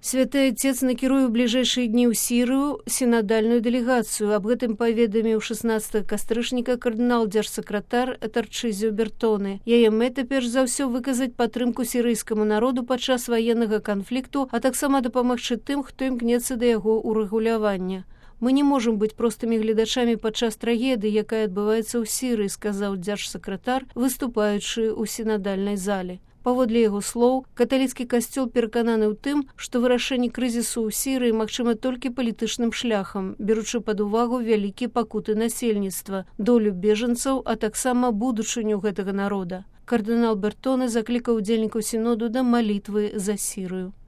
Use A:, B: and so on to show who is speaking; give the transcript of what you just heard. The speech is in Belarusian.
A: Святы Отец накіруе ў бліжэйшыя дні ў Сірыю сінадальную дэлегацыю. Аб гэтым паведаміў 16 кастрычніка кардынал-дзяржсакратар Тарчызіо Бертоне. Яе мэта перш за ўсё выказаць падтрымку сірыйскаму народу падчас ваеннага канфлікту, а таксама дапамагчы тым, хто імкнецца да яго ўрэгулявання. Мы не можам быць простымі гледачамі падчас трагедыі, якая адбываецца ў Сірыі, сказаў дзяржсакратар, выступаючы ў сінадальнай зале. Паводле яго слоў, каталіцкі касцёл перакананы ў тым, што вырашэнне крызісу ў Сірыі магчыма толькі палітычным шляхам, беручы пад увагу вялікія пакуты насельніцтва, долю бежанцаў, а таксама будучыню гэтага народа. Кардынал Бертоне заклікаў удзельнікаў сіноду да малітвы за Сірыю.